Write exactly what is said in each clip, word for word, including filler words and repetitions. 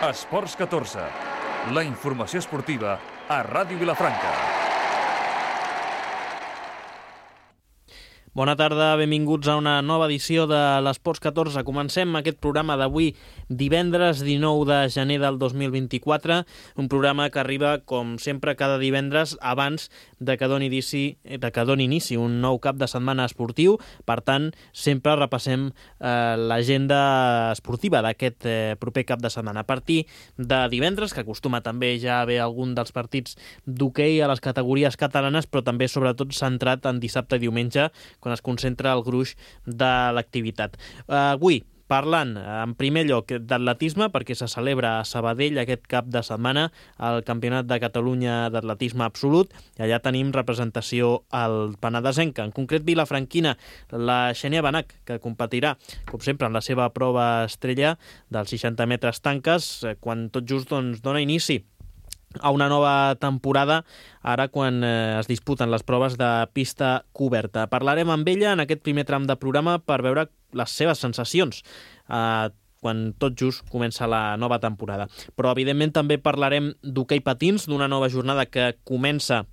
Esports catorze, la informació esportiva a Ràdio Vilafranca. Bona tarda, benvinguts a una nova edició de l'Esports catorze. Comencem aquest programa d'avui, divendres dinou de gener del dos mil vint-i-quatre, un programa que arriba, com sempre, cada divendres abans de que doni inici, de que doni inici un nou cap de setmana esportiu. Per tant, sempre repassem eh, l'agenda esportiva d'aquest eh, proper cap de setmana. A partir de divendres, que acostuma també ja a haver algun dels partits d'hoquei a les categories catalanes, però també, sobretot, centrat en dissabte i diumenge, quan es concentra el gruix de l'activitat. Avui, parlant en primer lloc d'atletisme, perquè se celebra a Sabadell aquest cap de setmana el Campionat de Catalunya d'Atletisme Absolut, i allà tenim representació al penedesenca, en concret vilafranquina, la Xènia Benach, que competirà, com sempre, en la seva prova estrella dels seixanta metres tanques, quan tot just doncs, dona inici a una nova temporada, ara quan eh, es disputen les proves de pista coberta. Parlarem amb ella en aquest primer tram de programa per veure les seves sensacions eh, quan tot just comença la nova temporada. Però, evidentment, també parlarem d'hoquei patins, d'una nova jornada que comença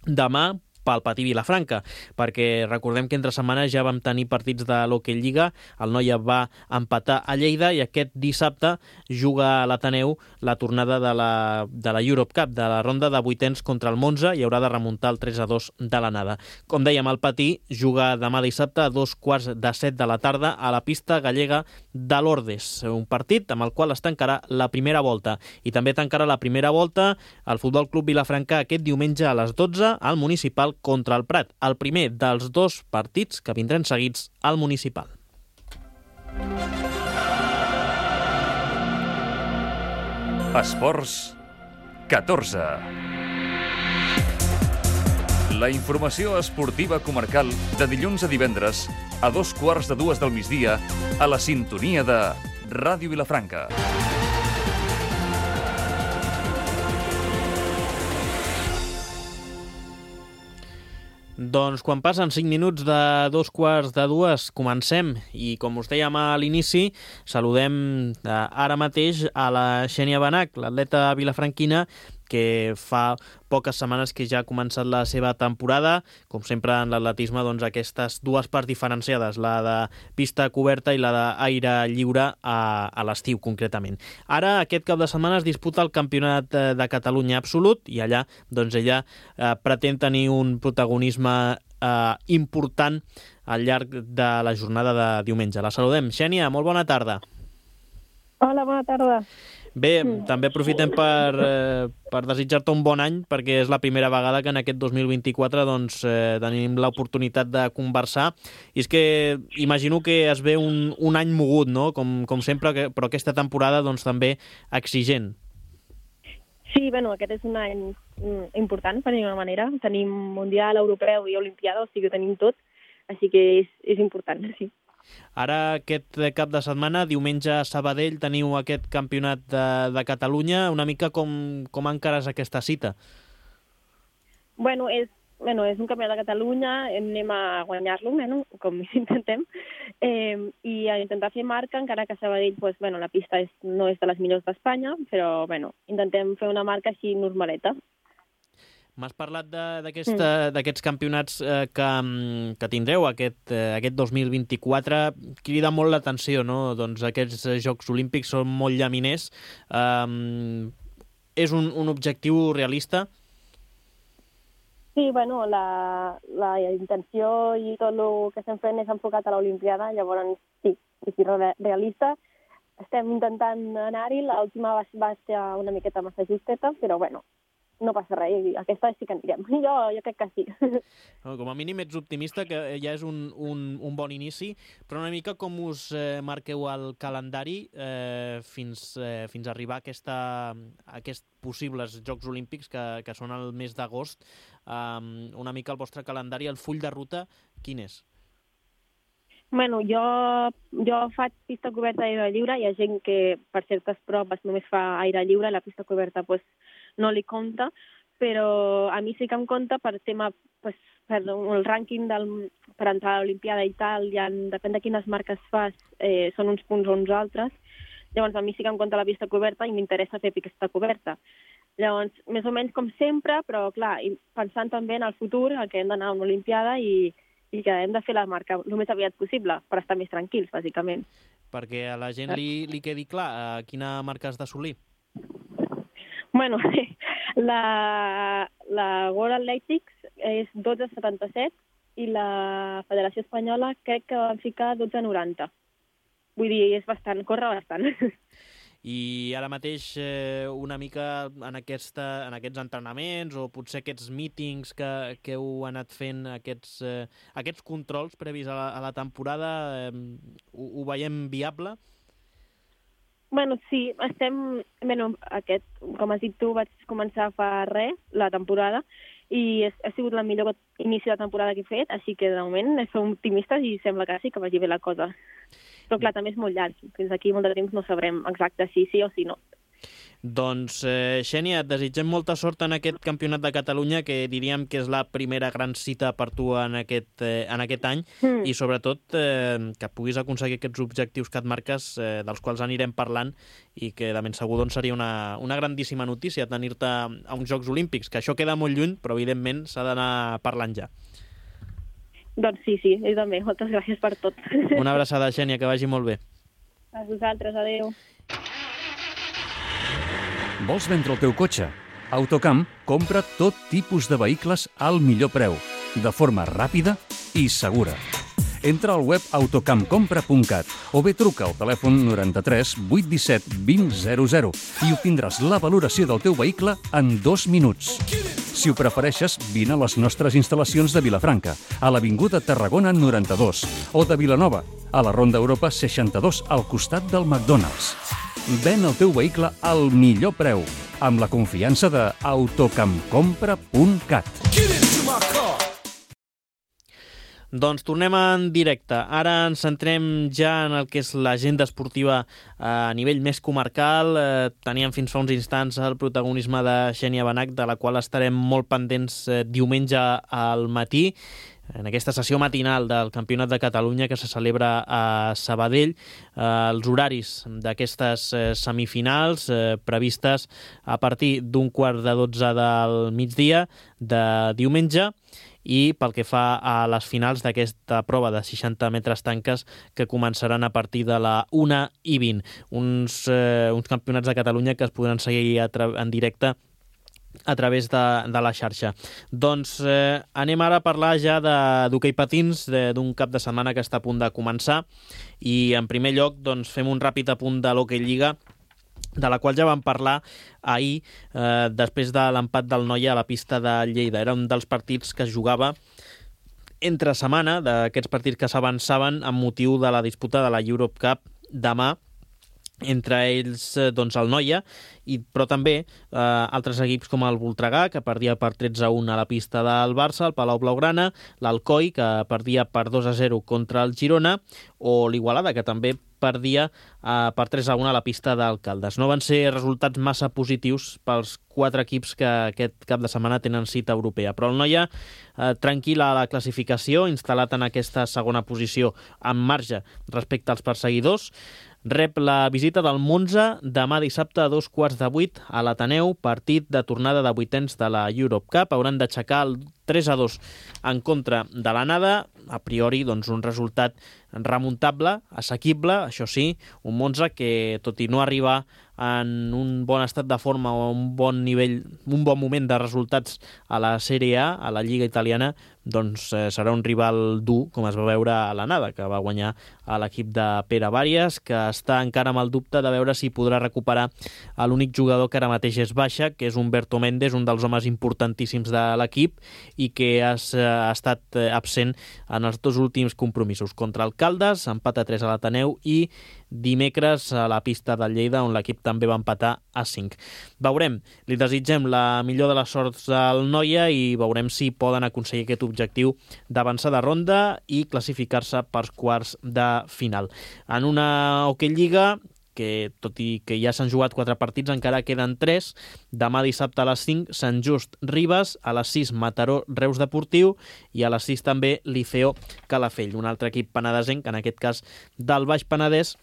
demà pel Patí Vilafranca, perquè recordem que entre setmanes ja vam tenir partits de l'Hockey Lliga, el Noia va empatar a Lleida i aquest dissabte juga a l'Ateneu la tornada de la, de la Europe Cup, de la ronda de vuitens contra el Monza, i haurà de remuntar el tres a dos de l'anada. Com dèiem, el Patí juga demà dissabte a dos quarts de set de la tarda a la pista gallega de l'Ordes, un partit amb el qual es tancarà la primera volta, i també tancarà la primera volta el Futbol Club Vilafranca aquest diumenge a les dotze al Municipal contra el Prat, el primer dels dos partits que vindran seguits al Municipal. Esports catorze. La informació esportiva comarcal de dilluns a divendres a dos quarts de dues del migdia a la sintonia de Ràdio Vilafranca. Doncs quan passen cinc minuts de dos quarts de dues, comencem. I com us dèiem a l'inici, saludem ara mateix a la Xènia Benach, l'atleta vilafranquina, que fa poques setmanes que ja ha començat la seva temporada. Com sempre en l'atletisme, doncs aquestes dues parts diferenciades, la de pista coberta i la d'aire lliure a, a l'estiu concretament. Ara, aquest cap de setmana es disputa el Campionat de Catalunya Absolut i allà doncs ella eh, pretén tenir un protagonisme eh, important al llarg de la jornada de diumenge. La saludem. Xènia, molt bona tarda. Hola, bona tarda. Bé, també aprofitem per, eh, per desitjar-te un bon any, perquè és la primera vegada que en aquest dos mil vint-i-quatre doncs, eh, tenim l'oportunitat de conversar. I és que imagino que es ve un, un any mogut, no? Com, com sempre, que, però aquesta temporada doncs, també exigent. Sí, bueno, aquest és un any important, per dir-ho d'una manera. Tenim Mundial, Europeu i Olimpiada, o sigui, ho tenim tot, així que és, és important, sí. Ara, aquest cap de setmana, diumenge a Sabadell, teniu aquest campionat de, de Catalunya. Una mica com, com encares aquesta cita? Bueno, és, bueno, és un campionat de Catalunya, anem a guanyar-lo, bueno, com intentem, eh, i a intentar fer marca, encara que a Sabadell pues, bueno, la pista és, no és de les millors d'Espanya, però bueno, intentem fer una marca així normaleta. M'has parlat d'aquests mm. campionats eh, que, que tindreu aquest, eh, aquest dos mil vint-i-quatre. Crida molt l'atenció, no? Doncs aquests Jocs Olímpics són molt llaminers. Um, és un, un objectiu realista? Sí, bueno, la, la intenció i tot el que estem fent és enfocat a l'Olimpiada, llavors sí, és realista. Estem intentant anar-hi, l'última va, va ser una miqueta massa justeta, però bueno, no passa res, aquesta sí que anirem. Jo, jo crec que sí. Com a mínim ets optimista, que ja és un, un, un bon inici, però una mica com us eh, marqueu el calendari eh, fins, eh, fins a arribar a, aquesta, a aquests possibles Jocs Olímpics que, que són el mes d'agost. Um, una mica el vostre calendari, el full de ruta, quin és? Bueno, jo, jo faig pista coberta d'aire lliure. Hi ha gent que per certes proves només fa aire lliure, la pista coberta pues, no li compta, però a mi sí que em compta per tema, pues, per el rànquing del, per entrar a l'Olimpiada i tal, ja, depèn de quines marques fas, eh, són uns punts o uns altres. Llavors, a mi sí que em compta la pista coberta i m'interessa fer pista coberta. Llavors, més o menys com sempre, però clar, pensant també en el futur, que hem d'anar a una Olimpiada i, i que hem de fer la marca el més aviat possible per estar més tranquils, bàsicament. Perquè a la gent li, li quedi clar a quina marca has d'assolir. Bueno, la, la World Athletics és dotze setanta-set i la Federació Espanyola crec que van ficar dotze noranta. Vull dir, és bastant, corre bastant. I ara mateix eh, una mica en, aquesta, en aquests entrenaments o potser aquests mítings que, que heu anat fent, aquests, eh, aquests controls previs a la, a la temporada, eh, ho, ho veiem viable? Bueno, sí, estem... Bueno, aquest, com has dit tu, vaig començar fa res, la temporada, i és, ha sigut la millor inici de temporada que he fet, així que de moment som optimistes i sembla que sí que vagi bé la cosa. Però clar, també és molt llarg. Fins aquí molt de temps no sabrem exacte si sí o si no. Doncs, eh, Xènia, et desitgem molta sort en aquest Campionat de Catalunya, que diríem que és la primera gran cita per tu en aquest, eh, en aquest any, mm. i sobretot eh, que puguis aconseguir aquests objectius que et marques, eh, dels quals anirem parlant, i que de ben segur doncs, seria una, una grandíssima notícia tenir-te a uns Jocs Olímpics, que això queda molt lluny, però evidentment s'ha d'anar parlant ja. Doncs sí, sí, jo també. Moltes gràcies per tot. Una abraçada, Xènia, que vagi molt bé. A vosaltres, adeu. Vols vendre el teu cotxe? Autocamp compra tot tipus de vehicles al millor preu, de forma ràpida i segura. Entra al web autocampcompra punt cat o bé truca al telèfon noranta-tres vuit disset vint zero zero i obtindràs la valoració del teu vehicle en dos minuts. Si ho prefereixes, vine a les nostres instal·lacions de Vilafranca, a l'Avinguda Tarragona noranta-dos, o de Vilanova, a la Ronda Europa seixanta-dos, al costat del McDonald's. Ven el teu vehicle al millor preu, amb la confiança de autocampcompra punt cat. Doncs tornem en directe. Ara ens centrem ja en el que és l'agenda esportiva a nivell més comarcal. Eh, teníem fins fa uns instants el protagonisme de Xènia Benach, de la qual estarem molt pendents eh, diumenge al matí, en aquesta sessió matinal del Campionat de Catalunya que se celebra a Sabadell. Eh, els horaris d'aquestes eh, semifinals eh, previstes a partir d'un quart de dotze del migdia de diumenge, i pel que fa a les finals d'aquesta prova de seixanta metres tanques que començaran a partir de la una i vint. Uns, eh, uns campionats de Catalunya que es podran seguir en directe a través de, de la xarxa. Doncs eh, anem ara a parlar ja d'hoquei patins, d'un cap de setmana que està a punt de començar, i en primer lloc doncs, fem un ràpid apunt de l'Hoquei Lliga, de la qual ja vam parlar ahir, eh, després de l'empat del Noia a la pista de Lleida. Era un dels partits que es jugava entre setmana, d'aquests partits que s'avançaven amb motiu de la disputa de la Europe Cup demà, entre ells doncs, el Noia, i, però també eh, altres equips com el Voltregà, que perdia per tretze a un a la pista del Barça, el Palau Blaugrana, l'Alcoi, que perdia per dos a zero contra el Girona, o l'Igualada, que també perdia eh, per tres a un a la pista d'Alcaldes. No van ser resultats massa positius pels quatre equips que aquest cap de setmana tenen cita europea, però el Noia, eh, tranquil a la classificació, instal·lat en aquesta segona posició amb marge respecte als perseguidors, rep la visita del Monza demà dissabte a dos quarts de vuit a l'Ateneu, partit de tornada de vuitens de la Europe Cup. Hauran d'aixecar el tres a dos en contra de l'anada. A priori, doncs, un resultat remuntable, assequible, això sí, un Monza que, tot i no arribar en un bon estat de forma o un bon nivell, un bon moment de resultats a la Sèrie A, a la Lliga Italiana, doncs eh, serà un rival dur, com es va veure a l'anada, que va guanyar a l'equip de Pere Bàries, que està encara amb el dubte de veure si podrà recuperar l'únic jugador que ara mateix és baixa, que és Humberto Méndez, un dels homes importantíssims de l'equip i que ha, ha estat absent en els dos últims compromisos, contra el Caldes, empat a tres a l'Ateneu, i dimecres a la pista del Lleida, on l'equip també va empatar a cinc. Veurem, li desitgem la millor de les sorts al Noia i veurem si poden aconseguir aquest objectiu d'avançar de ronda i classificar-se pels quarts de final. En una Hoquei Lliga que, tot i que ja s'han jugat quatre partits, encara queden tres. Demà dissabte a les cinc, Sant Just Ribes, a les sis, Mataró Reus Deportiu, i a les sis també Liceo Calafell, un altre equip penedesenc, en aquest cas del Baix Penedès,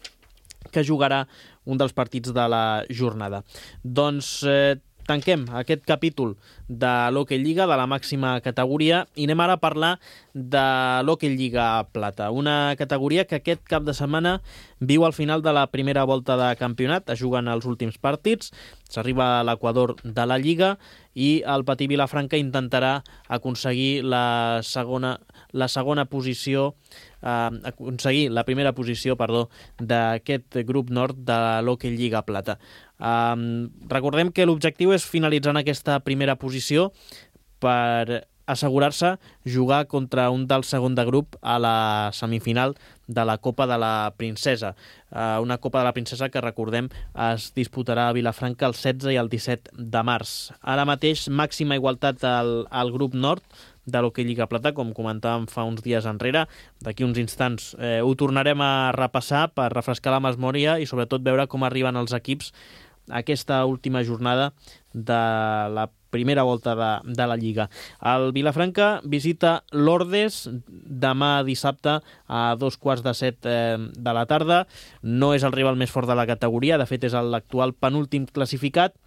que jugarà un dels partits de la jornada. Doncs eh, tanquem aquest capítol de l'Hockey Lliga, de la màxima categoria, i anem ara a parlar de l'Hockey Lliga Plata, una categoria que aquest cap de setmana viu al final de la primera volta de campionat, es juguen els últims partits, s'arriba a l'equador de la Lliga i el Patí Vilafranca intentarà aconseguir la segona, la segona posició, eh, aconseguir la primera posició, perdó, d'aquest grup nord de l'Hockey Lliga Plata. Um, recordem que l'objectiu és finalitzar en aquesta primera posició per assegurar-se jugar contra un del segon de grup a la semifinal de la Copa de la Princesa. Uh, una Copa de la Princesa que, recordem, es disputarà a Vilafranca el setze i el disset de març. Ara mateix, màxima igualtat al, al grup nord de l'Hockey Lliga Plata, com comentàvem fa uns dies enrere. D'aquí uns instants eh, ho tornarem a repassar per refrescar la memòria i sobretot veure com arriben els equips a aquesta última jornada de la primera volta de, de la Lliga. El Vilafranca visita l'Ordes demà dissabte a dos quarts de set eh, de la tarda. No és el rival més fort de la categoria, de fet és l'actual penúltim classificat,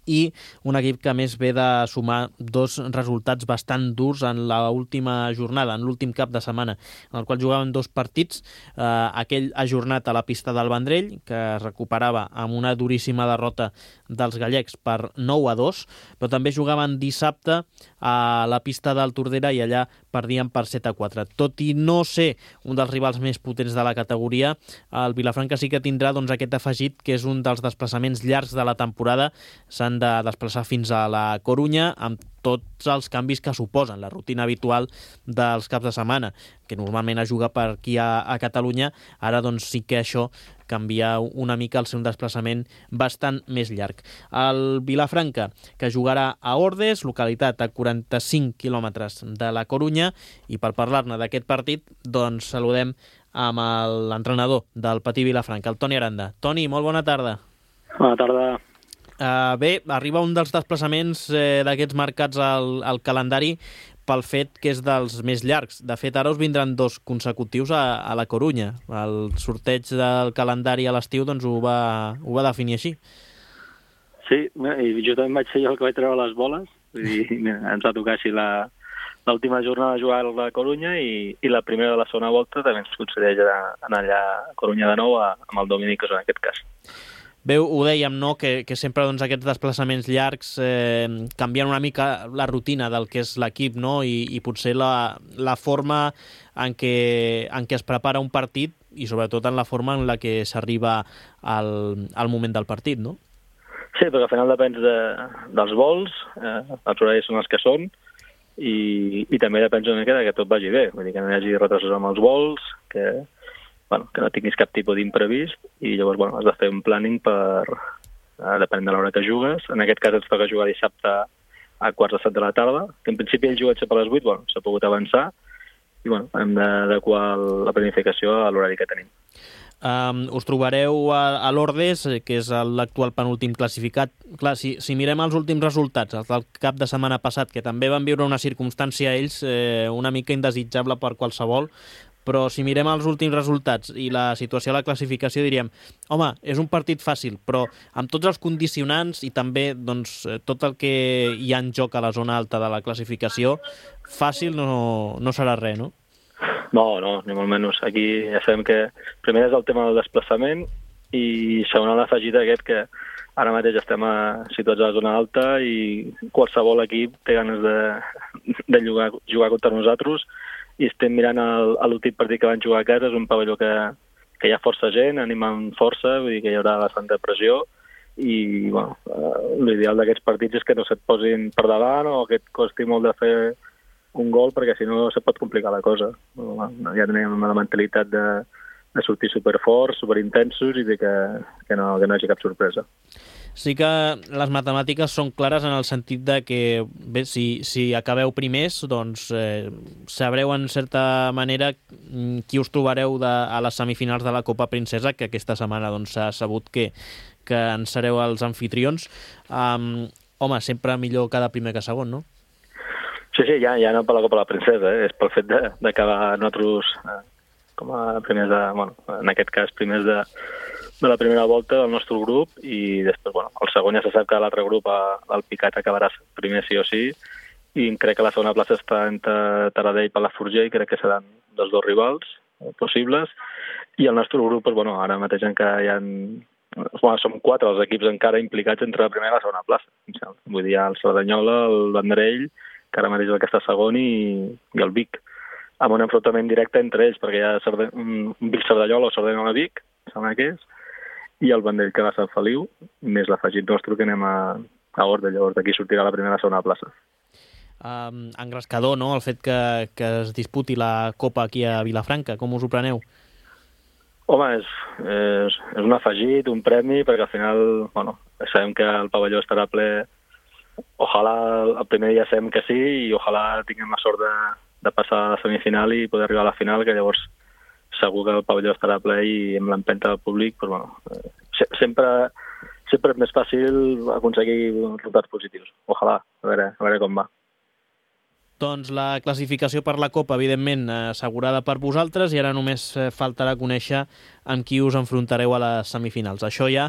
i un equip que més ve de sumar dos resultats bastant durs en l'última jornada, en l'últim cap de setmana, en el qual jugaven dos partits, eh, aquell ajornat a la pista del Vendrell, que es recuperava amb una duríssima derrota dels gallecs per nou a dos, però també jugaven dissabte a la pista del Tordera i allà perdien per set a quatre. Tot i no ser un dels rivals més potents de la categoria, el Vilafranca sí que tindrà doncs, aquest afegit, que és un dels desplaçaments llargs de la temporada. S'han de desplaçar fins a la Corunya amb tots els canvis que suposen la rutina habitual dels caps de setmana, que normalment es juga per aquí a, a Catalunya. Ara doncs sí que això canvia una mica el seu desplaçament bastant més llarg. El Vilafranca, que jugarà a Ordes, localitat a quaranta-cinc quilòmetres de la Corunya, i per parlar-ne d'aquest partit, doncs saludem amb l'entrenador del Patí Vilafranca, el Toni Aranda. Toni, molt bona tarda. Bona tarda. Uh, bé, arriba un dels desplaçaments eh, d'aquests marcats al, al calendari pel fet que és dels més llargs. De fet, ara us vindran dos consecutius a, a la Corunya. El sorteig del calendari a l'estiu doncs, ho, va, ho va definir així. Sí, i jo també vaig ser jo el que vaig treure les boles. Vull dir, ens va tocar així la, l'última jornada a jugar a la Corunya i, i la primera de la segona volta també ens concedeix anar allà a Corunya de nou a, amb el Dominicos en aquest cas. Bé, ho dèiem, no?, que, que sempre doncs, aquests desplaçaments llargs eh, canvien una mica la rutina del que és l'equip, no?, i, i potser la, la forma en què, en què es prepara un partit i sobretot en la forma en la que s'arriba al, al moment del partit, no? Sí, perquè al final depèn de, dels vols, eh, els horaris són els que són, i, i també depèn una mica que tot vagi bé, vull dir que no hi hagi retrasos amb els vols, que... Bueno, que no tinguis cap tipus d'imprevist i llavors bueno, has de fer un planning per eh, depenent de l'hora que jugues. En aquest cas ens toca jugar dissabte a quarts de set de la tarda, que en principi el jugat sempre a les vuit, bueno, s'ha pogut avançar i bueno, hem d'adequar la planificació a l'horari que tenim. Um, us trobareu a, a l'Ordes, que és l'actual penúltim classificat. Clar, si, si mirem els últims resultats, els del cap de setmana passat, que també van viure una circumstància ells eh, una mica indesitjable per qualsevol, però si mirem els últims resultats i la situació a la classificació diríem, home, és un partit fàcil, però amb tots els condicionants i també doncs, tot el que hi ha en joc a la zona alta de la classificació, fàcil no, no serà res, no? No, no, ni molt menys. Aquí ja sabem que primer és el tema del desplaçament i segon l'afegit aquest que ara mateix estem a, situats a la zona alta i qualsevol equip té ganes de, de jugar, jugar contra nosaltres i estem mirant l'últim partit que van jugar a casa, és un pavelló que, que hi ha força gent, animant força, vull dir que hi haurà bastanta pressió i bueno, l'ideal d'aquests partits és que no se't posin per davant o que et costi molt de fer un gol perquè si no se pot complicar la cosa. Ja tenim la mentalitat de, de sortir superforts, superintensos i de que, que, no, que no hi hagi cap sorpresa. Sí que les matemàtiques són clares en el sentit de que bé, si, si acabeu primers, doncs eh, sabreu en certa manera qui us trobareu de, a les semifinals de la Copa Princesa, que aquesta setmana doncs, s'ha sabut que, que en sereu els anfitrions. Um, home, sempre millor cada primer que segon, no? Sí, sí, ja, ja no per la Copa de la Princesa, eh? És pel fet d'acabar nosaltres eh, com a primers de, bueno, en aquest cas primers de, de la primera volta del nostre grup i després, bueno, el segon ja se sap que l'altre grup, el Picat, acabarà primer sí o sí i crec que la segona plaça està entre Taradell i Palafrugell, crec que seran dels dos rivals possibles i el nostre grup, doncs, bueno, ara mateix encara hi ha... Bueno, som quatre els equips encara implicats entre la primera i la segona plaça. Vull dir, el Cerdanyola, el Vendrell, que ara mateix és el que està segon, i, i el Vic, amb un enfrontament directe entre ells, perquè hi ha Cerda... un Vic-Cerdanyola o Cerdanyola-Vic, sembla que és, i el Vendrell que va a Sant Feliu, més l'afegit nostre que anem a, a Orde, llavors d'aquí sortirà la primera i la segona plaça. Um, engrescador, no?, el fet que, que es disputi la Copa aquí a Vilafranca. Com us ho preneu? Home, és, és, és un afegit, un premi, perquè al final, bueno, sabem que el pavelló estarà ple. Ojalà el primer dia sabem que sí i ojalà tinguem la sort de, de passar a la semifinal i poder arribar a la final, que llavors segur que el pavelló estarà ple i amb l'empenta del públic, doncs, bueno, eh, sempre, sempre és més fàcil aconseguir resultats positius. Ojalà, a veure, a veure com va. Doncs la classificació per la Copa, evidentment, assegurada per vosaltres i ara només faltarà conèixer amb qui us enfrontareu a les semifinals. Això ja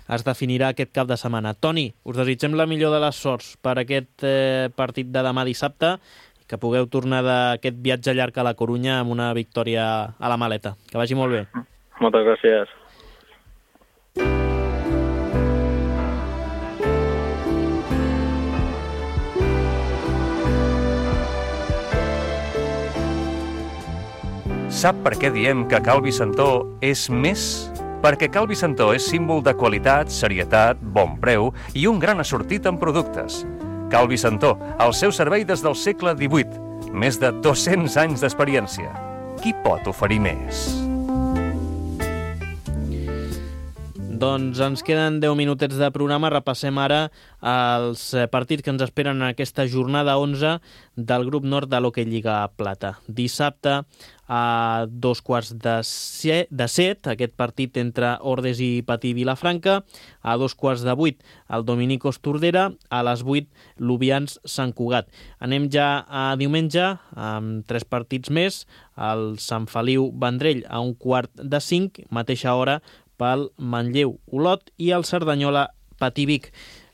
es definirà aquest cap de setmana. Toni, us desitgem la millor de les sorts per aquest eh, partit de demà dissabte, que pugueu tornar d'aquest viatge llarg a la Corunya amb una victòria a la maleta. Que vagi molt bé. Moltes gràcies. Sap per què diem que Cal Vicentó és més? Perquè Cal Vicentó és símbol de qualitat, serietat, bon preu i un gran assortit en productes. Cal Vicentó, al seu servei des del segle divuit, més de dos-cents anys d'experiència. Qui pot oferir més? Doncs ens queden deu minutets de programa. Repassem ara els partits que ens esperen en aquesta jornada onze del grup nord de l'Hockey Lliga Plata. Dissabte a dos quarts de set, de set, aquest partit entre Ordes i Patí Vilafranca. A dos quarts de vuit, el Dominicos Tordera. A les vuit, l'Ubians Sant Cugat. Anem ja a diumenge, amb tres partits més. El Sant Feliu Vendrell a un quart de cinc, mateixa hora pel Manlleu Olot i el Cerdanyola Patí Vic.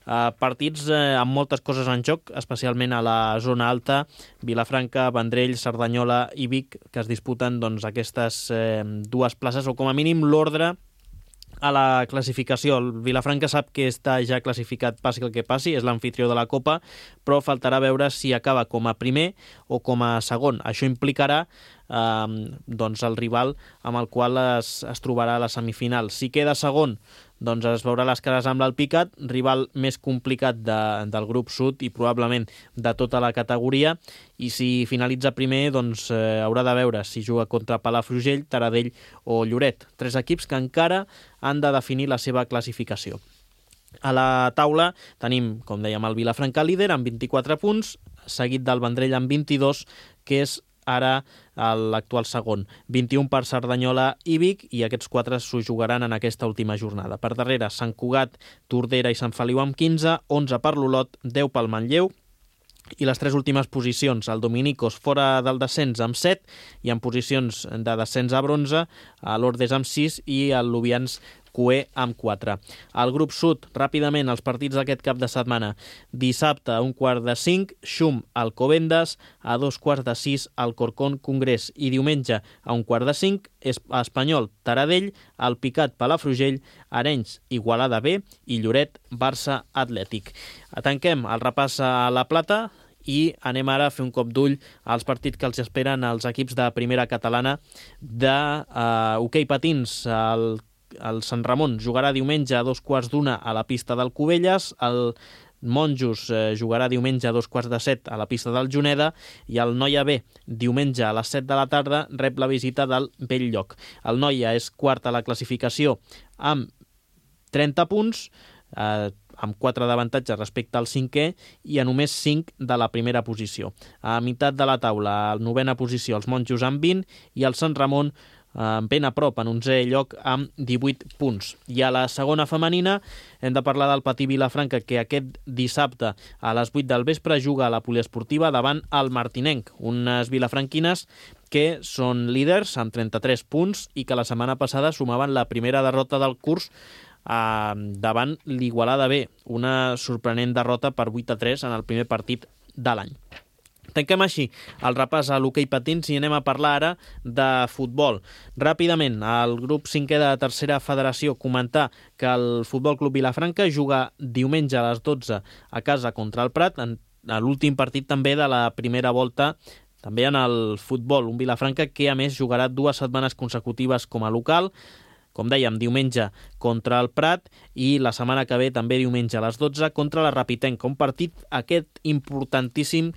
Uh, partits eh, amb moltes coses en joc, especialment a la zona alta, Vilafranca, Vendrell, Cerdanyola i Vic, que es disputen doncs, aquestes eh, dues places, o com a mínim l'ordre a la classificació. El Vilafranca sap que està ja classificat, passi el que passi, és l'anfitrió de la Copa, però faltarà veure si acaba com a primer o com a segon. Això implicarà eh, doncs el rival amb el qual es, es trobarà a la semifinal. Si queda segon, doncs es veurà les cares amb l'Alpicat, rival més complicat de, del grup sud i probablement de tota la categoria, i si finalitza primer, doncs eh, haurà de veure si juga contra Palafrugell, Taradell o Lloret. Tres equips que encara han de definir la seva classificació. A la taula tenim, com dèiem, el Vilafranca líder amb vint-i-quatre punts, seguit del Vendrell amb vint-i-dos, que és ara l'actual segon. vint-i-un per Cerdanyola i Vic, i aquests quatre s'ho jugaran en aquesta última jornada. Per darrere, Sant Cugat, Tordera i Sant Feliu amb quinze, onze per l'Olot, deu pel Manlleu, i les tres últimes posicions, el Dominicos fora del descens amb set, i en posicions de descens a bronze, l'Ordes amb sis i el Lubians Cué amb quatre. Al grup sud, ràpidament, els partits d'aquest cap de setmana. Dissabte, a un quart de cinc, Xum Alcobendas, a dos quarts de sis, Alcorcón Congrés, i diumenge, a un quart de cinc, Espanyol Taradell, Alpicat Palafrugell, Arenys Igualada B i Lloret Barça Atlètic. Tanquem el repàs a la Plata i anem ara a fer un cop d'ull als partits que els esperen als equips de primera catalana de uh, hoquei patins. El El Sant Ramon jugarà diumenge a dos quarts d'una a la pista del Cubelles, el Monjos eh, jugarà diumenge a dos quarts de set a la pista del Juneda, i el Noia B, diumenge a les set de la tarda, rep la visita del Belllloc. El Noia és quart a la classificació amb trenta punts, eh, amb quatre d'avantatge respecte al cinquè, i a només cinc de la primera posició. A meitat de la taula, a la novena posició, els Monjos amb vint, i el Sant Ramon ben a prop, en onzè lloc amb divuit punts. I a la segona femenina hem de parlar del Patí Vilafranca, que aquest dissabte a les vuit del vespre juga a la poliesportiva davant el Martinenc, unes vilafranquines que són líders amb trenta-tres punts i que la setmana passada sumaven la primera derrota del curs eh, davant l'Igualada B, una sorprenent derrota per vuit a tres en el primer partit de l'any. Tanquem així el repàs a l'hoquei patins i anem a parlar ara de futbol. Ràpidament, el grup cinquè de tercera federació, comentar que el Futbol Club Vilafranca juga diumenge a les dotze a casa contra el Prat, en l'últim partit també de la primera volta, també en el futbol, un Vilafranca que a més jugarà dues setmanes consecutives com a local, com dèiem, diumenge contra el Prat i la setmana que ve també diumenge a les dotze contra la Rapitenca, un partit aquest importantíssim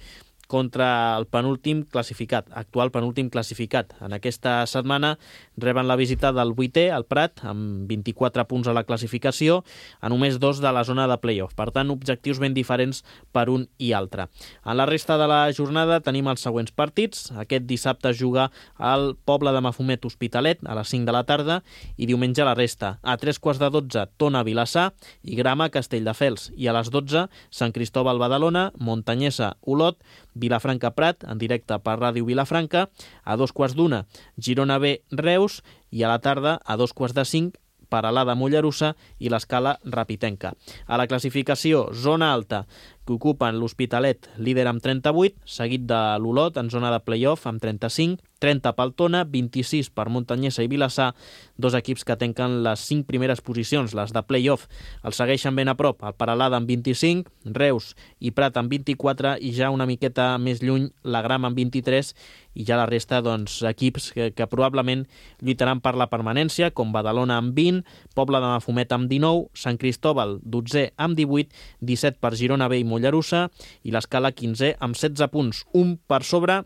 contra el penúltim classificat, actual penúltim classificat. En aquesta setmana reben la visita del vuitè, el Prat, amb vint-i-quatre punts a la classificació, a només dos de la zona de play-off. Per tant, objectius ben diferents per un i altre. En la resta de la jornada tenim els següents partits. Aquest dissabte juga al Poble de Mafumet Hospitalet a les cinc de la tarda i diumenge la resta. A tres quarts de dotze, Tona Vilassar i Grama Castelldefels. I a les dotze, Sant Cristòbal Badalona, Montanyesa Olot, Vilafranca Prat, en directe per Ràdio Vilafranca, a dos quarts d'una, Girona B Reus, i a la tarda, a dos quarts de cinc, Peralada Mollerussa i l'Escala Rapitenca. A la classificació, zona alta, que ocupen l'Hospitalet, líder amb trenta-vuit, seguit de l'Olot en zona de play-off amb trenta-cinc, trenta pel Tona, vint-i-sis per Montanyesa i Vilassar, dos equips que tanquen les cinc primeres posicions, les de play-off. Els segueixen ben a prop, el Peralada amb vint-i-cinc, Reus i Prat amb vint-i-quatre i ja una miqueta més lluny la Grama amb vint-i-tres i ja la resta, doncs, equips que, que probablement lluitaran per la permanència, com Badalona amb vint, Poble de Mafumet amb dinou, Sant Cristòbal dotzè amb divuit, disset per Girona B i Mollerussa i l'Escala quinzè amb setze punts, un per sobre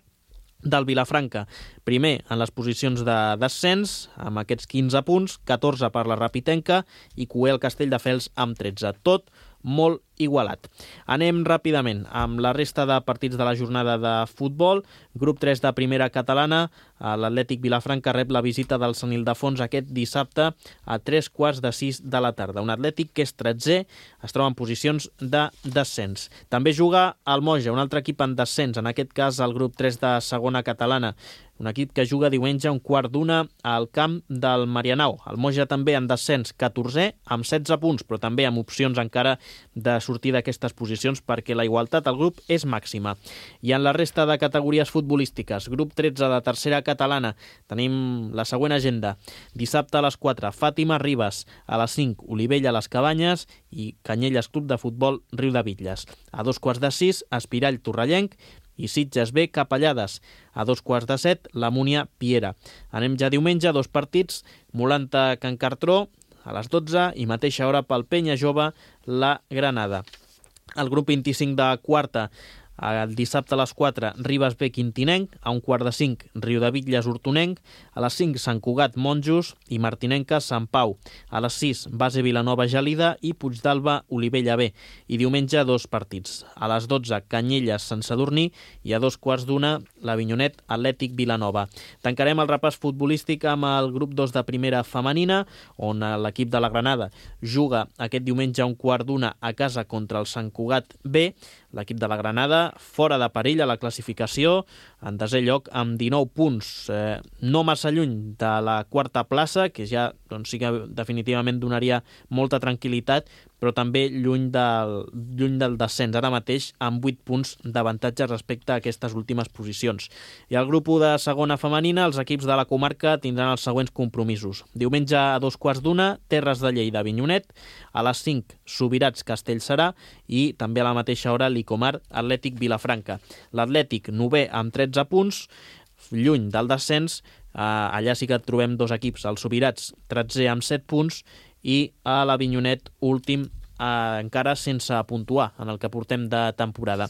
del Vilafranca. Primer en les posicions de descens, amb aquests quinze punts, catorze per la Rapitenca i Cué el Castelldefels amb tretze. Tot molt igualat. Anem ràpidament amb la resta de partits de la jornada de futbol. Grup tres de primera catalana, l'Atlètic Vilafranca rep la visita del Sant Ildefons aquest dissabte a tres quarts de sis de la tarda. Un Atlètic que és tretzè, es troba en posicions de descens. També juga el Moja, un altre equip en descens, en aquest cas el grup tres de segona catalana. Un equip que juga diumenge a un quart d'una al camp del Marianao. El Moja també en descens, catorzè, amb setze punts, però també amb opcions encara de sortir d'aquestes posicions perquè la igualtat al grup és màxima. I en la resta de categories futbolístiques, grup tretze de tercera catalana, tenim la següent agenda. Dissabte a les quatre, Fàtima Ribes, a les cinc, Olivella les Cabanyes i Canyelles Club de Futbol Riu de Bitlles. A dos quarts de sis, Espirall Torrellenc i Sitges B Capellades. A dos quarts de set, la Múnia Piera. Anem ja diumenge, dos partits, Molanta Can Cartró, a les dotze i mateixa hora pel Penya Jove, la Granada. El grup vint-i-cinc de quarta, el dissabte a les quatre, Ribes B Quintinenc, a un quart de cinc, Riudebitlles Hortonenc, a les cinc, Sant Cugat Monjos i Martinenca Sant Pau. A les sis, Base Vilanova Gelida i Puigdàlber Olivella B. I diumenge dos partits. A les dotze, Canyelles Sant Sadurní i a dos quarts d'una, l'Avinyonet Atlètic Vilanova. Tancarem el repàs futbolístic amb el grup dos de primera femenina, on l'equip de la Granada juga aquest diumenge a un quart d'una a casa contra el Sant Cugat B. L'equip de la Granada fora de perill a la classificació, en desè lloc amb dinou punts, eh, no massa lluny de la quarta plaça, que ja doncs, sí que definitivament donaria molta tranquil·litat, però també lluny del, lluny del descens, ara mateix amb vuit punts d'avantatge respecte a aquestes últimes posicions. I al grup u de segona femenina, els equips de la comarca tindran els següents compromisos. Diumenge a dos quarts d'una, Terres de Lleida Avinyonet, a les cinc, Subirats Castellserà i també a la mateixa hora l'Icomar Atlètic Vilafranca. L'Atlètic novè amb tretze punts, lluny del descens, eh, allà sí que trobem dos equips, el Subirats tretzè amb set punts i a l'Avinyonet últim eh, encara sense puntuar en el que portem de temporada.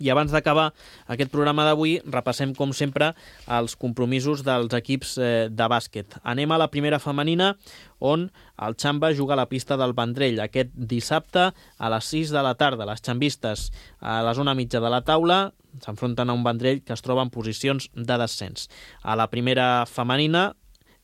I abans d'acabar aquest programa d'avui, repassem, com sempre, els compromisos dels equips eh, de bàsquet. Anem a la primera femenina, on el Xamba juga a la pista del Vendrell aquest dissabte a les sis de la tarda. Les xambistes a la zona mitja de la taula s'enfronten a un Vendrell que es troba en posicions de descens. A la primera femenina,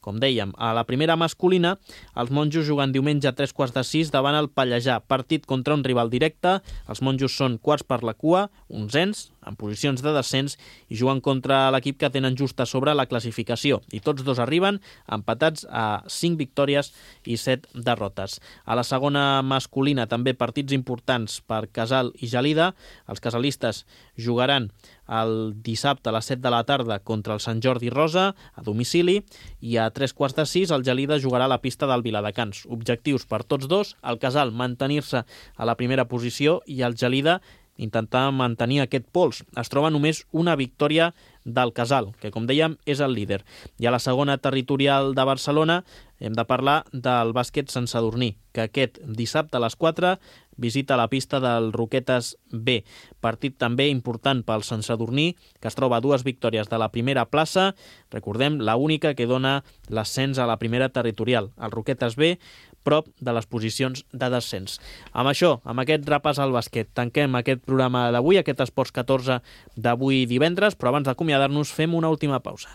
Com dèiem, a la primera masculina, els monjos juguen diumenge a tres quarts de sis davant el Pallejà, partit contra un rival directe. Els monjos són quarts per la cua, onzens, en posicions de descens, i juguen contra l'equip que tenen just a sobre la classificació. I tots dos arriben empatats a cinc victòries i set derrotes. A la segona masculina també partits importants per Casal i Gelida. Els casalistes jugaran el dissabte a les set de la tarda contra el Sant Jordi Rosa, a domicili, i a tres quarts de sis el Gelida jugarà a la pista del Viladecans. Objectius per tots dos, el Casal mantenir-se a la primera posició i el Gelida intentar mantenir aquest pols. Es troba només una victòria del Casal, que com dèiem és el líder. I a la segona territorial de Barcelona hem de parlar del bàsquet Sant Sadurní, que aquest dissabte a les quatre visita la pista del Roquetes B. Partit també important pel Sant Sadurní, que es troba a dues victòries de la primera plaça. Recordem, la única que dona l'ascens a la primera territorial. El Roquetes B, prop de les posicions de descens. Amb això, amb aquest repàs al bàsquet, tanquem aquest programa d'avui, aquest Esports catorze d'avui divendres, però abans d'acomiadar-nos fem una última pausa.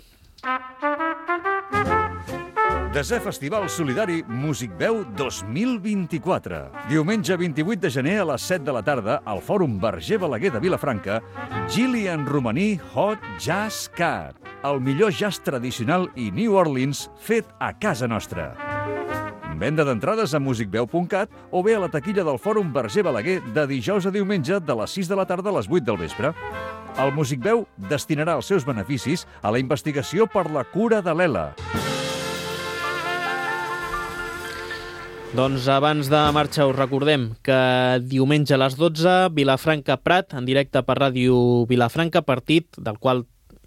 Desè Festival Solidari Músic Veu dos mil vint-i-quatre. Diumenge vint-i-vuit de gener a les set de la tarda al Fòrum Verger Balaguer de Vilafranca, Gillian Romaní Hot Jazz Cat, el millor jazz tradicional i New Orleans fet a casa nostra. Venda d'entrades a music veu punt cat o bé a la taquilla del Fòrum Verger Balaguer de dijous a diumenge de les sis de la tarda a les vuit del vespre. El Músic Veu destinarà els seus beneficis a la investigació per la cura de l'E L A. Doncs abans de marxar us recordem que diumenge a les dotze, Vilafranca Prat, en directe per Ràdio Vilafranca, partit del qual,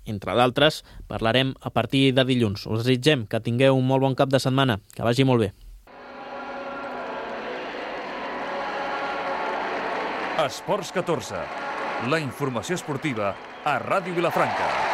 entre d'altres, parlarem a partir de dilluns. Us desitgem que tingueu un molt bon cap de setmana, que vagi molt bé. Esports catorze, la informació esportiva a Ràdio Vilafranca.